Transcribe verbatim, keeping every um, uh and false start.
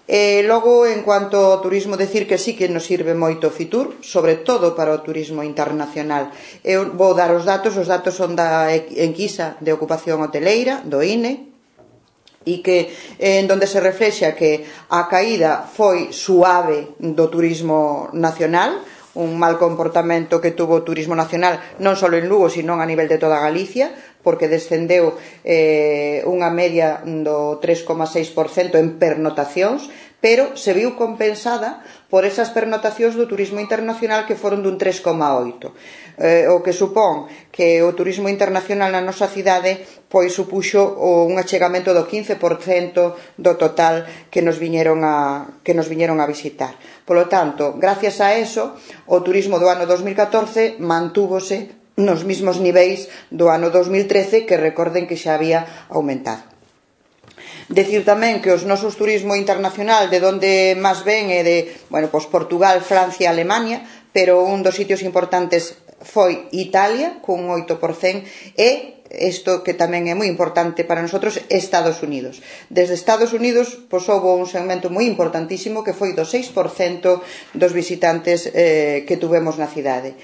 E logo, en cuanto ao turismo, decir que sí que nos sirve moito Fitur, sobre todo para o turismo internacional. Eu vou dar os datos, os datos son da enquisa de ocupación hoteleira, do I N E, e que en donde se reflexa que a caída foi suave do turismo nacional, un mal comportamento que tuvo o turismo nacional non só en Lugo, sino a nivel de toda Galicia, porque descendeu eh, unha media do tres coma seis por cento en pernotacións, pero se viu compensada por esas pernotacións do turismo internacional que foron dun tres coma oito por cento. Eh, o que supón que o turismo internacional na nosa cidade pois supuxo un achegamento do quince por cento do total que nos viñeron a, que nos viñeron a visitar. Polo tanto, gracias a eso, o turismo do ano dos mil catorce mantúvose nos mismos niveis do ano dos mil trece, que recorden que xa había aumentado. Decir tamén que os nosos turismo internacional de onde máis ven é de, bueno, pois Portugal, Francia, Alemania, pero un dos sitios importantes foi Italia, cun oito por cento, e isto que tamén é moi importante para nosotros, Estados Unidos. Desde Estados Unidos, pois houve un segmento moi importantísimo que foi do seis por cento dos visitantes eh, que tuvemos na cidade.